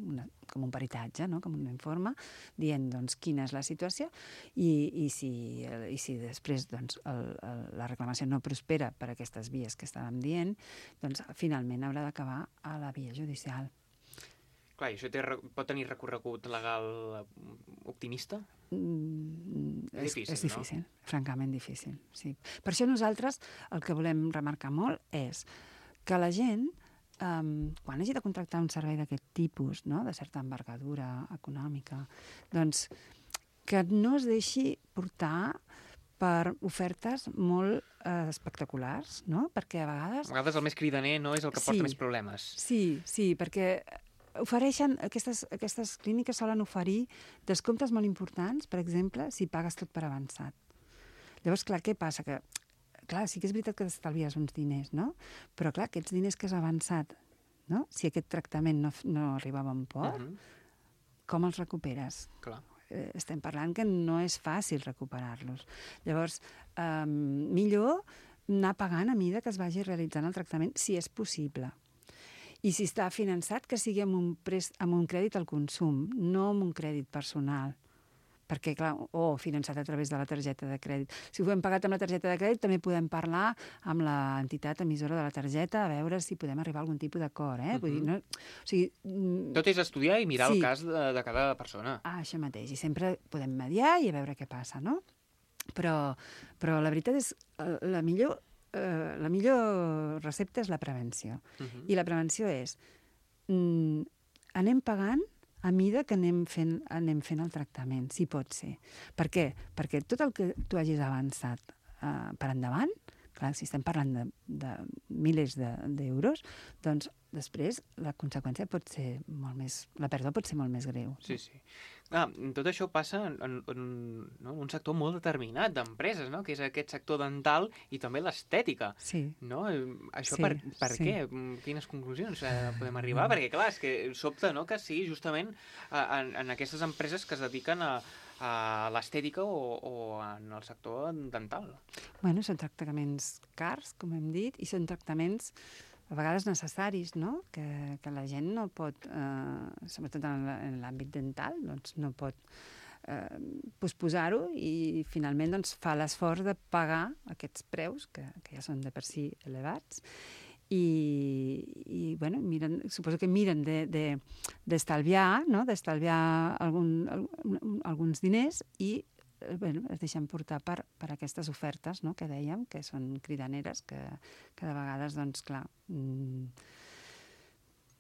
una, com un peritatge, no? Com un informe, dient, doncs, quina és la situació i, i, si, i si després, doncs, el, el, la reclamació no prospera per aquestes vies que estàvem dient, doncs finalment haurà d'acabar a la via judicial. Clar, i això té, pot tenir recorregut legal optimista? Mm, és, és difícil, és difícil, no? Francament difícil, sí. Per això nosaltres el que volem remarcar molt és que la gent, um, quan hagi de contractar un servei d'aquest tipus, no?, de certa envergadura econòmica, doncs que no es deixi portar per ofertes molt eh, espectaculars, no? Perquè a vegades... A vegades el més cridaner no és el que sí, porta més problemes. Sí, sí, perquè ofereixen, aquestes, aquestes clíniques solen oferir descomptes molt importants, per exemple, si pagues tot per avançat. Llavors, clar, què passa? Que, clar, sí que és veritat que t'estalvies uns diners, no? Però, clar, aquests diners que has avançat, no? Si aquest tractament no, no arriba a bon port, uh-huh. com els recuperes? Clar. Estem parlant que no és fàcil recuperar-los. Llavors, eh, millor anar pagant a mida que es vagi realitzant el tractament, si és possible. I si està finançat, que sigui amb un, prest, amb un crèdit al consum, no amb un crèdit personal. Perquè, clar, o oh, finançat a través de la targeta de crèdit. Si ho hem pagat amb la targeta de crèdit, també podem parlar amb l'entitat emissora de la targeta a veure si podem arribar a algun tipus d'acord, eh? Uh-huh. Vull dir, no... o sigui, tot és estudiar i mirar sí. el cas de, de cada persona. Ah, això mateix. I sempre podem mediar i a veure què passa, no? Però, però la veritat és la millor, eh, la millor recepta és la prevenció. Uh-huh. I la prevenció és mm, anem pagant a mida que anem fent, anem fent el tractament, si pot ser. Per què? Perquè tot el que tu hagis avançat uh, per endavant, clar, si estem parlant de, de milers d'euros, de, doncs després la conseqüència pot ser molt més... La pèrdua pot ser molt més greu. Sí, sí. Ah, tot això passa en, en, en no? un sector molt determinat d'empreses, no? Que és aquest sector dental i també l'estètica. Sí. No? Això sí, per, per sí. què? Quines conclusions eh, podem arribar? Perquè, clar, és que sobta, no?, que sigui justament en, en aquestes empreses que es dediquen a, a l'estètica o, o en el sector dental. Bueno, són tractaments cars, com hem dit, i són tractaments a vegades necessaris, no? Que, que la gent no pot, eh, sobretot en l'àmbit dental, doncs no pot eh, posposar-ho i finalment doncs, fa l'esforç de pagar aquests preus, que, que ja són de per si elevats, i, i bueno, miren, suposo que miren d'estalviar, de, de, no? d'estalviar algun, algun, alguns diners i bueno, es deixen portar per, per aquestes ofertes, no?, que dèiem, que són cridaneres, que, que de vegades, doncs, clar, mmm,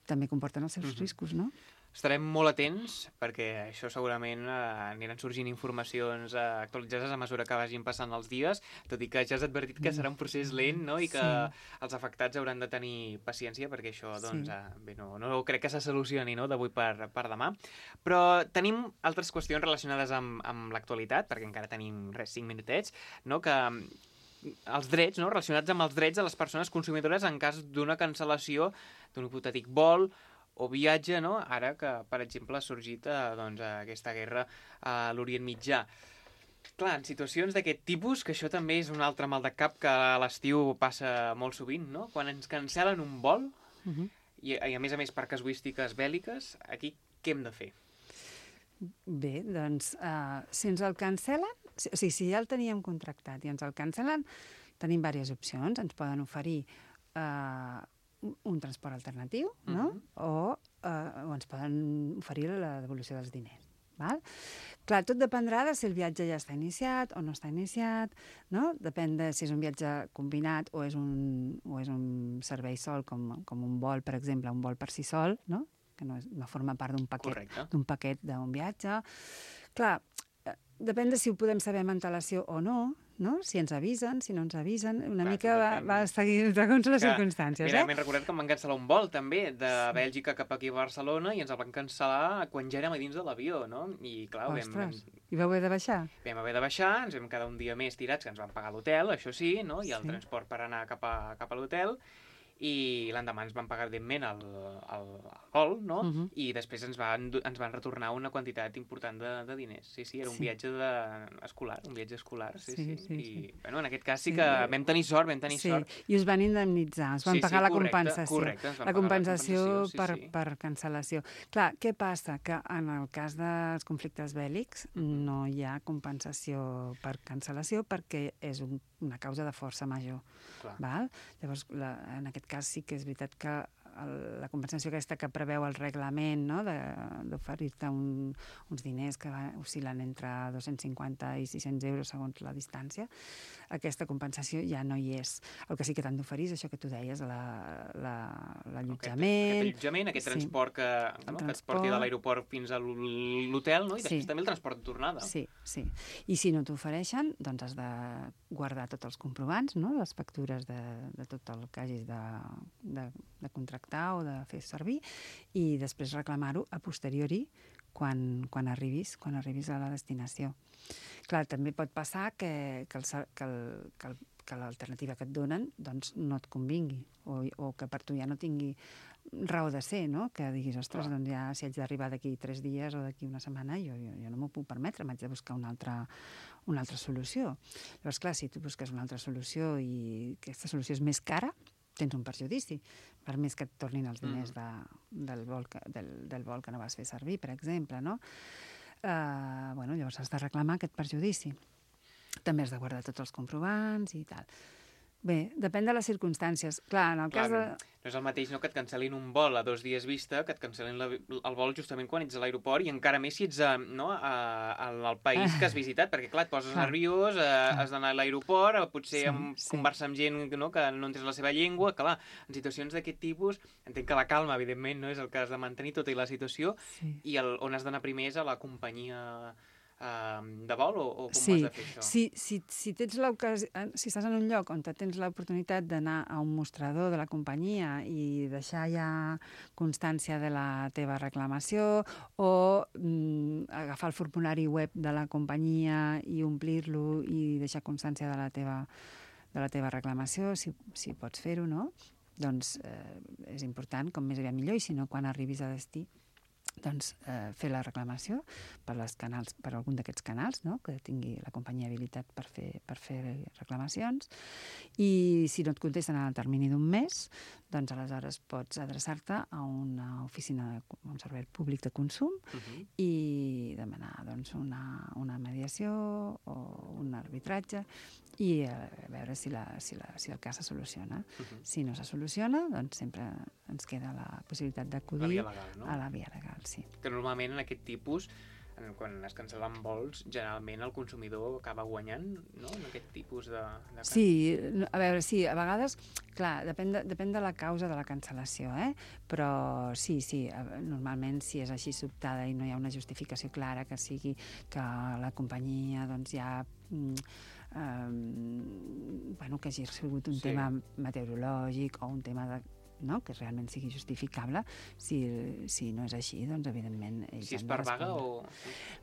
també comporten els seus uh-huh. riscos, no? estarem molt atents perquè això segurament eh, aniran sorgint informacions eh, actualitzades a mesura que vagin passant els dies, tot i que ja has advertit que serà un procés lent, no? I que sí. els afectats hauran de tenir paciència perquè això, doncs, sí. eh, bé, no, no crec que se solucioni, no?, d'avui per, per demà. Però tenim altres qüestions relacionades amb, amb l'actualitat, perquè encara tenim, res, cinc minutets, no?, que els drets, no?, relacionats amb els drets de les persones consumidores en cas d'una cancel·lació d'un hipotètic vol o viatge, no?, ara que, per exemple, ha sorgit eh, doncs, aquesta guerra a l'Orient Mitjà. Clar, en situacions d'aquest tipus, que això també és un altre mal de cap que a l'estiu passa molt sovint, no?, quan ens cancel·len un vol, uh-huh. i, i a més a més per casuístiques bèl·liques, aquí què hem de fer? Bé, doncs, uh, si ens el cancel·len, o sigui, si ja el teníem contractat i ens el cancel·len, tenim diverses opcions. Ens poden oferir uh, un transport alternatiu, no? Uh-huh. o, uh, o ens poden oferir la devolució dels diners. Val? Clar, tot dependrà de si el viatge ja està iniciat o no està iniciat, no? Depèn de si és un viatge combinat o és un, o és un servei sol, com, com un vol, per exemple, un vol per si sol, no? Que no, és, no forma part d'un paquet, d'un paquet d'un viatge. Clar, depèn de si ho podem saber amb antelació o no, no? Si ens avisen, si no ens avisen, una Clar, mica va, va seguir segons les que, circumstàncies. Mira, eh? m'he recordat que em van cancel·lar un vol, també, de sí. Bèlgica cap aquí a Barcelona, i ens el van cancel·lar quan ja érem a dins de l'avió, no? I, clar, Ostres, vam, i vau haver de baixar? Vam haver de baixar, ens vam quedar un dia més tirats, que ens van pagar l'hotel, això sí, no? I el sí. transport per anar cap a, cap a l'hotel, i l'endemà ens van pagar, evidentment, el, el, el vol, no? Uh-huh. I després ens van, ens van retornar una quantitat important de, de diners. Sí, sí, era un sí. viatge de, escolar, un viatge escolar, sí, sí. sí, sí. I, sí. bueno, en aquest cas sí, sí que vam tenir sort, vam tenir sí. sort. I us van indemnitzar, us van sí, pagar sí, la correcte, compensació. Correcte, ens van la compensació, pagar la compensació per, sí, sí. per cancel·lació. Clar, què passa? Que en el cas dels conflictes bèl·lics uh-huh. no hi ha compensació per cancel·lació perquè és un, una causa de força major. Clar. Val? Llavors, la, en aquest cas sí que és veritat que el, la compensació aquesta que preveu el reglament, no?, d'oferir-te un, uns diners que oscil·len entre dos-cents cinquanta i sis-cents euros segons la distància, aquesta compensació ja no hi és. El que sí que t'han d'oferir és això que tu deies, l'allotjament... Aquest allotjament, aquest sí. transport, que, no? transport que et porti de l'aeroport fins a l'hotel, no? I després sí. també el transport de tornada. Sí, sí. I si no t'ofereixen, doncs has de guardar tots els comprovants, no?, les factures de, de tot el que hagis de, de, de contractar o de fer servir, i després reclamar-ho a posteriori quan, quan arribis quan arribis a la destinació. Clar, també pot passar que, que, el, que, el, que, el, que l'alternativa que et donen doncs, no et convingui, o, o que per tu ja no tingui raó de ser, no? Que diguis, ostres, doncs ja si haig d'arribar d'aquí tres dies o d'aquí una setmana, jo, jo, jo no m'ho puc permetre, m'haig de buscar una altra, una altra solució. Llavors, clar, si tu busques una altra solució i aquesta solució és més cara, tens un perjudici, per més que et tornin els diners de, del, vol que, del, del vol que no vas fer servir, per exemple, no? Uh, bueno, llavors has de reclamar aquest perjudici. També has de guardar tots els comprovants i tal. Bé, depèn de les circumstàncies. Clar, en el Clar, cas de... No és el mateix, no?, que et cancel·lin un vol a dos dies vista, que et cancel·lin la, el vol justament quan ets a l'aeroport, i encara més si ets a, no, a, a, al país que has visitat, perquè clar, et poses clar. nerviós, a, has d'anar a l'aeroport, potser sí, amb, sí. conversar amb gent, no?, que no entens la seva llengua, clar, en situacions d'aquest tipus, entenc que la calma, evidentment, no és el que has de mantenir tota la situació, sí. i el, on has d'anar primer és a la companyia de vol, o, o com sí, has de fer això? Sí, si, si, tens si estàs en un lloc on tens l'oportunitat d'anar a un mostrador de la companyia i deixar ja constància de la teva reclamació, o mm, agafar el formulari web de la companyia i omplir-lo i deixar constància de la teva, de la teva reclamació, si, si pots fer-ho, no? Doncs eh, és important, com més aviat millor, i si no, quan arribis a destí, doncs, eh, fer la reclamació per, les canals, per algun d'aquests canals, no?, que tingui la companyia habilitat per fer, per fer reclamacions, i si no et contesten en el termini d'un mes, doncs aleshores pots adreçar-te a una oficina, de, un servei públic de consum, uh-huh. i demanar doncs, una, una mediació o un arbitratge, i a veure si, la, si, la, si el cas se soluciona. Uh-huh. Si no se soluciona, doncs sempre ens queda la possibilitat d'acudir legal, no? a la via legal, sí. Que normalment en aquest tipus quan es cancel·len vols, generalment el consumidor acaba guanyant, no?, en aquest tipus de... de... Sí, a veure, sí, a vegades, clar, depèn de, depèn de la causa de la cancel·lació, eh? Però sí, sí, normalment si és així sobtada i no hi ha una justificació clara que sigui que la companyia doncs ja... Um, bueno, que hagi sigut un sí. tema meteorològic o un tema de... no? Que realment sigui justificable. Si, si no és així, doncs evidentment ells si és per vaga o...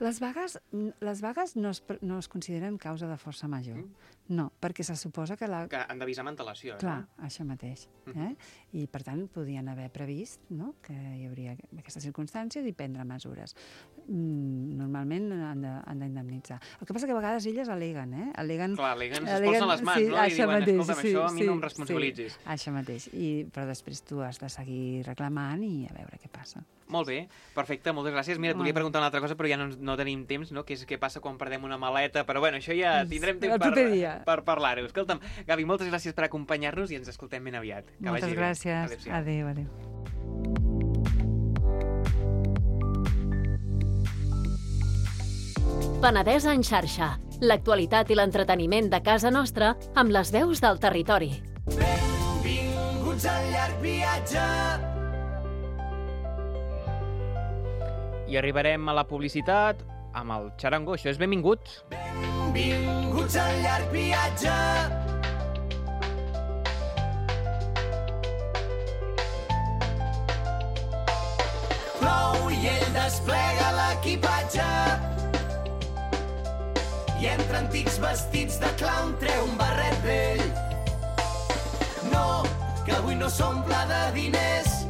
Les vagues, les vagues no, es, no es consideren causa de força major. Mm. No, perquè se suposa que la... Que han d'avisar amb antelació. Clar, no? Això mateix. Eh? I per tant podien haver previst, no?, que hi hauria aquestes circumstàncies i prendre mesures. Mm, normalment han d'indemnitzar. El que passa que a vegades elles aleguen, eh? Aleguen, Clar, aleguen, es posen les mans, sí, no? I diuen, mateix, escolta'm, sí, això a mi sí, no em responsabilitzis. Sí, això mateix. I, però després tu has de seguir reclamant i a veure què passa. Molt bé, perfecte, moltes gràcies. Mira, et volia preguntar una altra cosa, però ja no, no tenim temps, no? Que és què passa quan perdem una maleta, però bueno, això ja tindrem temps per, per parlar-ho. Escolta'm, Gavi, moltes gràcies per acompanyar-nos i ens escoltem ben aviat. Que moltes gràcies. Adéu, adéu. Penedès en xarxa. L'actualitat i l'entreteniment de casa nostra amb les veus del territori. Benvinguts al llarg viatge. I arribarem a la publicitat amb el xarango. Això és Benvinguts. Benvinguts al llarg viatge. Plou i ell desplega l'equipatge. I entre antics vestits de clown treu un barret vell. No, que avui no s'omple de diners,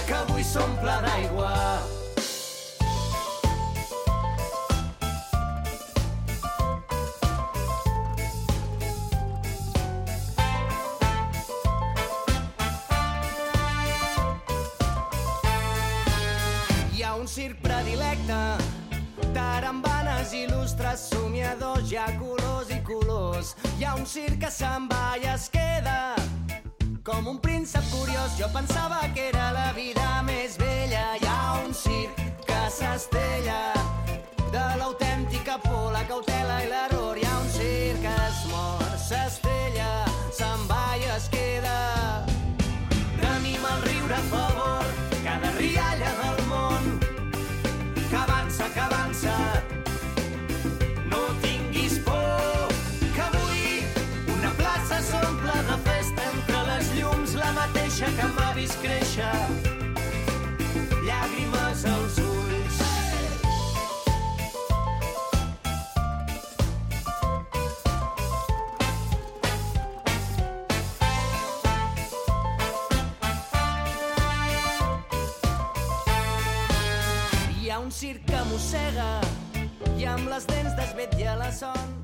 que avui s'omple d'aigua. Hi ha un circ predilecte, tarambanes il·lustres, somiadors, hi ha colors i colors. Hi ha un circ que se'n va i es queda com un príncep curiós. Jo pensava que era la vida més bella. Hi ha un circ que s'estella de l'autèntica por, la cautela i l'error. Hi ha un circ que es mor, s'estella, se'n va i es queda. Tenim el riure a favor, cada rialla del món, que avança, que avança. No tinguis por, que avui una plaça s'omple de festa entre les llums, la mateixa que m'ha vist créixer, llàgrimes als ulls. Hi ha un circ que mossega i amb les dents desvetlla la son.